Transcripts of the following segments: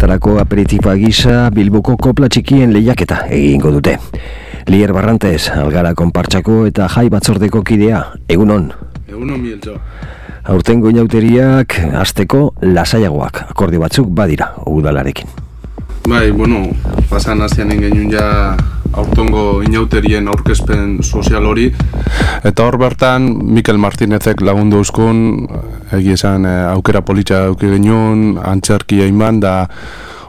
horretarako aperitiba gisa Bilboko kopla txikien lehiaketa egingo dute. Lier Barrantez, Algara konpartsako eta jai batzordeko kidea, egunon. Egunon Mieltxo. Aurtengo inauteriak hasteko lasaiagoak, akordio batzuk badira udalarekin. Bai, pasan hastian genuen ja aurtengo inauterien aurkezpen sozial hori. Eta hor bertan, Mikel Martinezek lagundu euskun, egia esan aukera politxa eduki genuen, antzerkia iman, da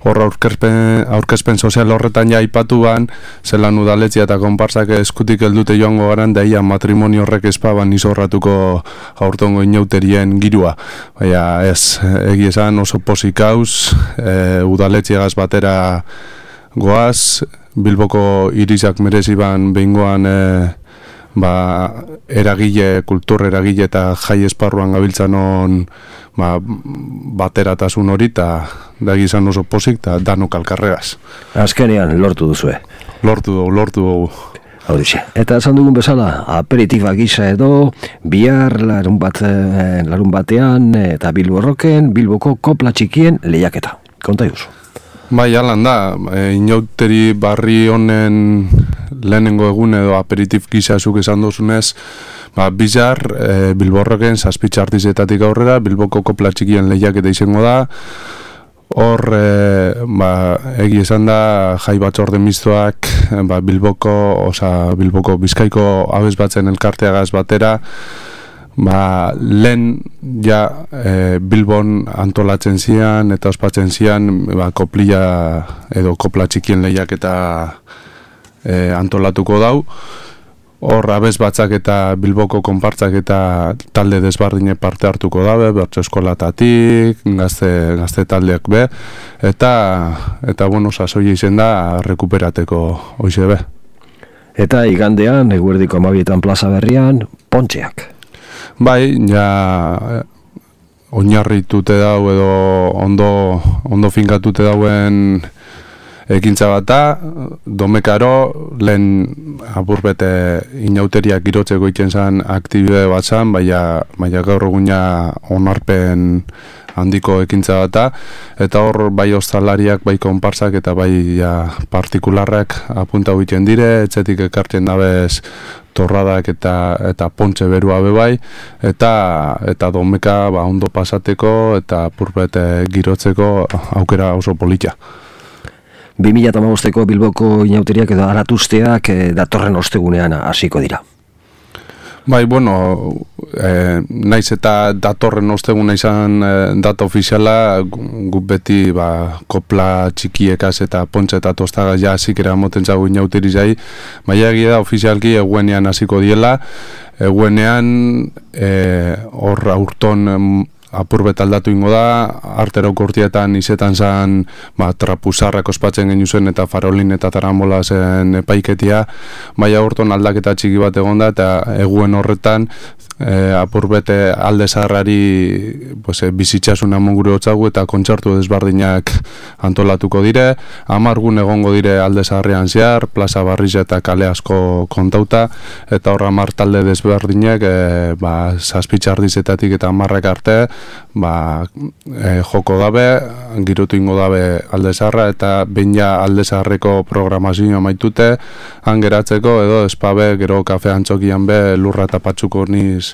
hor aurkezpen sozial horretan ja aipatuan, zelan udaletzia eta konparsak eskutik heldute joango garan, da ia matrimonio horrek espaban izorratuko aurtengo inauterien girua. Baina ez, egia esan oso posik hauz, udaletziagaz batera goaz, Bilboko irizak mereziban behingoan eragile, kultur eragile eta jai esparruan gabiltzan on bateratasun hori eta da gizan oso posik eta danok alkarregaz. Azkenean lortu duzue. Lortu dugu. Horixe. Eta esan dugun bezala, aperitiba gisa edo, bihar larun batean eta Bilborroken, Bilboko kopla txikien lehiaketa. Konta duzu. Bai, alan da, inauteri barri honen lehenengo egun edo aperitif gisa zuk esan duzunez, bizar, Bilborroken, zazpitza artizetatik aurrera, Bilboko kopla txikien lehiaketa izango da. Hor, egi esan da, jai batzorde mistoak, Bilboko Bizkaiko abez batzen elkarteagaz batera, lehen ja Bilbon antolatzen zian eta ospatzen zian koplia edo kopla txikien lehiaketa antolatuko dau. Hor abez batzak eta Bilboko konpartzak eta talde desbardine parte hartuko dabe, bertso eskolatatik, gazte taldeak be, eta sasoia izen da rekuperateko hoize be. Eta igandean, eguerdiko 12 plaza berrian, pontxeak. Bai, ja oinarritute dau edo ondo finkatute dauen ekintza bata, domekaro lehen apurbete inauteriak girotzeko itzen zan aktibitate bat zan, baina gaur eguna onarpen handiko ekintza bata, eta hor bai ostalariak, bai konparsak eta bai partikularrak apunta egiten dire, etxetik ekartzen dabez torradak eta pontxe berua bebai, eta domeka ondo pasateko eta apurbete girotzeko aukera oso politia. 2015ko Bilboko inauteriak edo aratuzteak datorren ostegunean hasiko dira. Bai, naiz eta datorren osteguna izan data ofiziala, guk beti kopla txikiekaz eta pontxe eta tostagaz ja zikera moten zago inauteri zai, baina egia da ofizialki eguenean hasiko diela, eguenean hor aurton apurbet aldatu ingo da, arteroko urtietan izetan zan trapuzarrak ospatzen genu zen eta farolin eta tarambola zen epaiketia, baina horton aldaketa txiki bat egon da eta eguen horretan apurbete alde zaharrari bizitxasuna mongure hotzagu eta kontzertu desbardinak antolatuko dire, 10 gun egongo dire alde zaharrean zehar, plaza barriza eta kale asko kontauta, eta hor 10 talde desbardinak zazpitxardizetatik eta 10 arte joko dabe, girotu ingo dabe alde zaharra eta behin ja alde zaharreko programazioa maitute, han geratzeko edo espabe gero kafe antzokian be lurra eta patsuko niz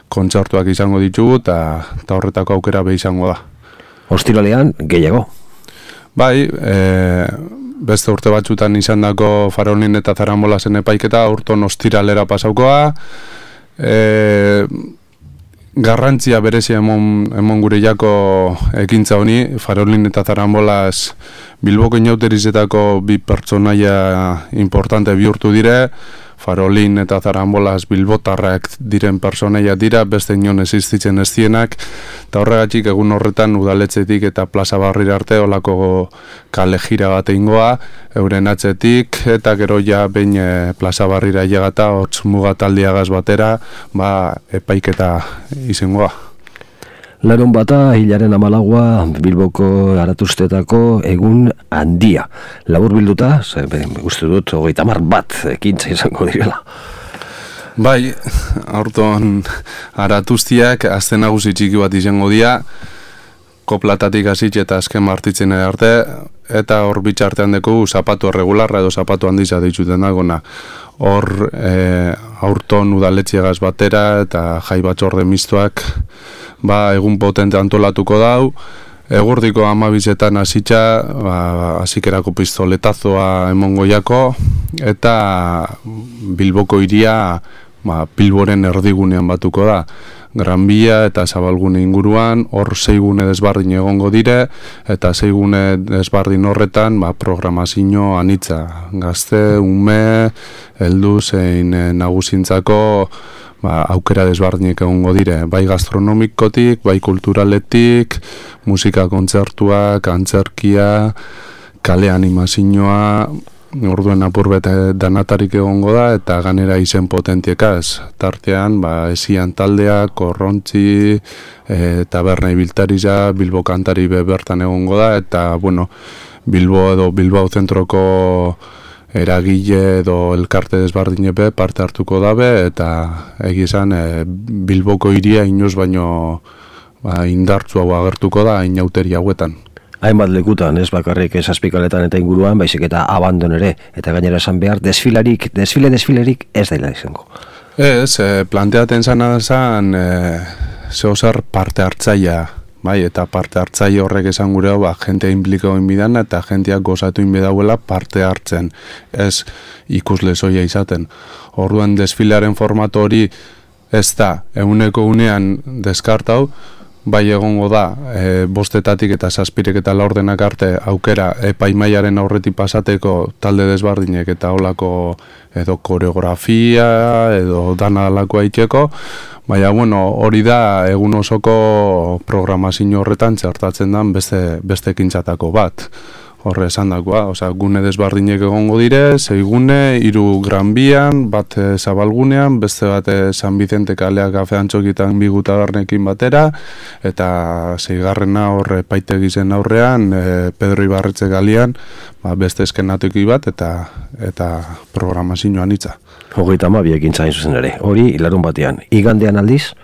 kontzertuak izango ditugu eta horretako aukera be izango da. Ostiralean gehiago? Bai, beste urte batzutan izan dako farolin eta zarambola zen epaiketa, urton ostiralera pasaukoa, garrantzia berezia emon gure jako ekintza honi, farolin eta zarambolaz Bilboko inauterizetako bi pertsonaia importante bihurtu dire, farolin eta zarambolaz bilbotarrak diren personaia dira, beste inon existitzen ez dienak, eta horregatik egun horretan udaletzetik eta plaza barrira arte olako kale jira bat egingoa, euren atzetik, eta gero ja behin plaza barrira llegata, hotz mugataldiagaz batera, epaiketa izangoa. Larun bata, hilaren 14 Bilboko aratuztetako egun handia. Labur bilduta, uste dut, 30 bat ekintza izango direla. Bai, aurton aratuztiak azten nagusi txiki bat izango dira. koplatatik hasitz eta azken martitzen arte, eta hor bitxartean dugu zapatu regularra edo zapatu handiza dituten dagona. Hor aurton udaletxiegaz batera eta jai batzorde mistoak egun potente antolatuko dau. Egurdiko 12etan hasitza, hasikerako pistoletazoa emongo jako, eta Bilboko hiria Bilboren erdigunean batuko da. Gran Via eta Zabalgune inguruan, hor 6 gune desbardin egongo dire, eta 6 gune desbardin horretan programazio anitza. Gazte, ume, heldu zein nagusintzako aukera desbardinek egongo dire, bai gastronomikotik, bai kulturaletik, musika kontzertuak, antzerkia, kale animazioa, orduen apurbet danatarik egongo da, eta ganera izen potentiekaz. Tartean, esian taldea, korrontzi, taberna ibiltariza, Bilbo kantari bertan egongo da, eta, Bilbo edo Bilbao zentroko eragile edo elkarte desbardinepe parte hartuko dabe, eta egizan Bilboko hiria inoz baino indartzu hau agertuko da inauteri hauetan. Hainbat lekutan, ez bakarrik Zazpikaletan eta inguruan, baizik eta abandon ere, eta gainera esan behar, desfilerik ez daila izango. Ez, planteaten zana zan, zehozar parte hartzaia, eta parte hartzaile horrek esan gure hau, jentea implikau inbidan, eta jenteak gozatu inbidauela parte hartzen, ez ikusle zoia izaten. Orduan desfilearen formato hori ez da, eguneko unean deskartau, bai egongo da, 5 eta 7 eta 4 arte aukera epaimaiaren aurretik pasateko talde desbardinek eta holako edo koreografia edo dana alako aiteko, baina hori da egun osoko programazio horretan txertatzen den beste ekintzatako bat. Horre esan dakoa, gune desbardinek egongo dire, 6 gune, 3 Gran Bian, bat Zabalgunean, beste bat San Vicente kalea kafe antxokitan bigutagarnekin batera, eta 6. horre paitegizen aurrean, Pedro Ibarretxe galian, beste eskenatuki bat, eta programazioan itza. 32 ekintza hain zuzen ere, hori larun batean. Igandean aldiz?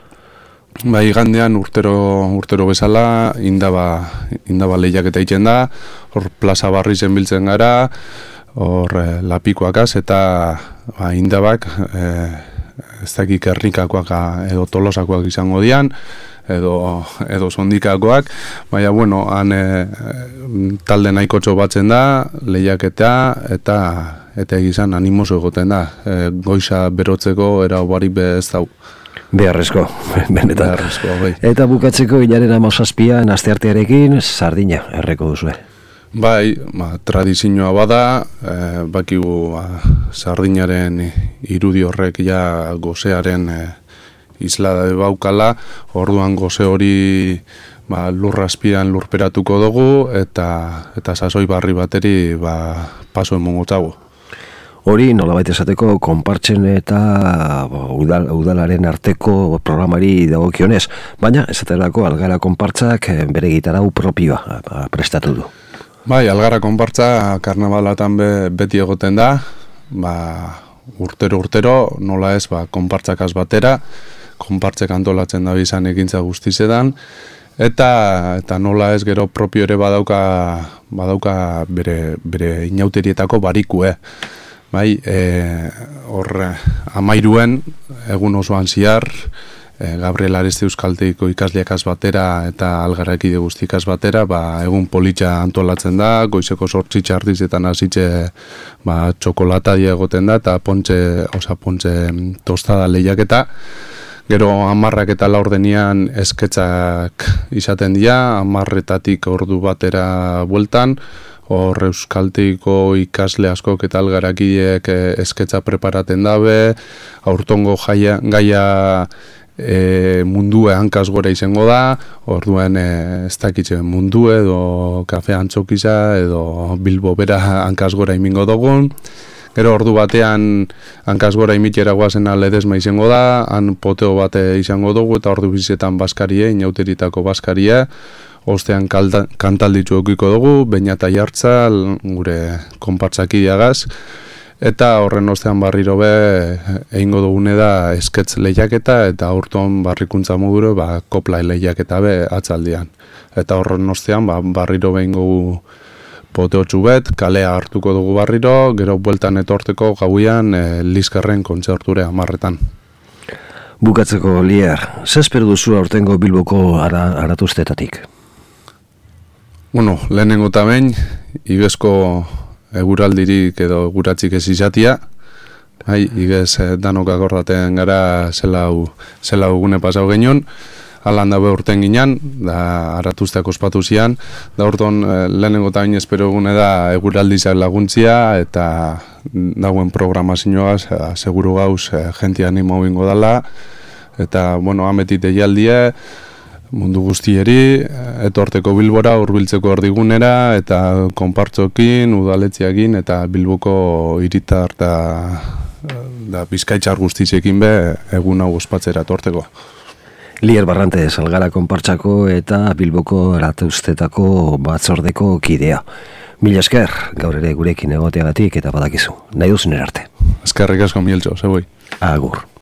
Igandean urtero bezala indaba lehiaketa egiten da, hor plaza barri zenbiltzen gara, hor lapikoakaz eta indabak ez dakik errikakoak edo tolosakoak izango dian, edo sondikakoak, baina han talde nahikotxo batzen da, lehiaketa eta egizan animoso egoten da, goiza berotzeko era barik ez dau. Beharrezko, benetan. Beharrezko, bai. Eta bukatzeko hilaren 17an asteartearekin sardina erreko duzue. Bai, tradizioa bada, bakigu sardinaren irudi horrek ja gozearen islada baukala, orduan goze hori lurrazpian lurperatuko dugu eta sasoi barri bateri paso emongotago. Hori nolabait esateko konpartzen eta udalaren arteko programari dagokionez, baina esaterako Algara konpartzak bere gitarau propioa prestatu du. Bai, Algara konpartza karnabalatan beti egoten da, urtero nola ez konpartzakaz batera, konpartzek antolatzen da bizan ekintza guztizetan, eta nola ez gero propio ere badauka bere inauterietako barikue. Bai, hor 13 egun osoan ziar, Gabriel Areste Euskaltegiko ikasleakaz batera eta Algarakide guztikaz batera, egun politxa antolatzen da, goizeko 8 txartizetan hasitze txokolata egoten da, eta pontxe tostada lehiaketa. Gero 10 eta 4 esketzak izaten dira, 10 ordu batera bueltan, hor Euskaltegiko ikasle askok eta Algarakideek esketza preparaten dabe, aurtongo gaia mundue hankaz gora izango da, orduan ez dakitzen mundue edo kafe antzokiza edo Bilbo bera hankaz gora imingo dugun. Gero ordu batean hankaz gora imitera guazen ledesma izango da, han poteo bate izango dugu eta ordu bizetan baskarie, inauteritako baskarie, ostean kantalditzu eukiko dugu, Beñata Jartza, gure konpartzakideagaz, Eta horren ostean barriro be egingo dugune da esketz lehiaketa eta aurton barrikuntza moduro kopla lehiaketa be atzaldian. Eta horren ostean barriro behingo poteotxu bet, kalea hartuko dugu barriro, gero bueltan etorteko gauian Liskarren kontzerture 10etan. Bukatzeko, Lier, zespero duzu aurtengo Bilboko aratuztetatik? Bueno, lehenengo eta behin, igezko eguraldirik edo eguratzik ez izatia, igez danok akordaten gara zela gune pasau genion, alan dabe urten ginen, da aratuzteak ospatu zian, da urton lehenengo eta behin espero gune da eguraldizak laguntzia, eta dagoen programazioaz, seguru gauz jentia animo bingo dala, eta, bueno, ametit egialdie, mundu guztieri, etorteko Bilbora, hurbiltzeko erdigunera, eta konpartzokin, udaletziakin, eta Bilboko hiritar da Bizkaitzar guztiekin be egun hau ospatzera etorteko. Lier Barrante, Salgara konpartsako eta Bilboko aratuztetako batzordeko kidea. Mila esker, gaur ere gurekin egoteagatik eta badakizu. Nahi duzen erarte. Eskerrik asko Mieltxo, zeboi. Agur.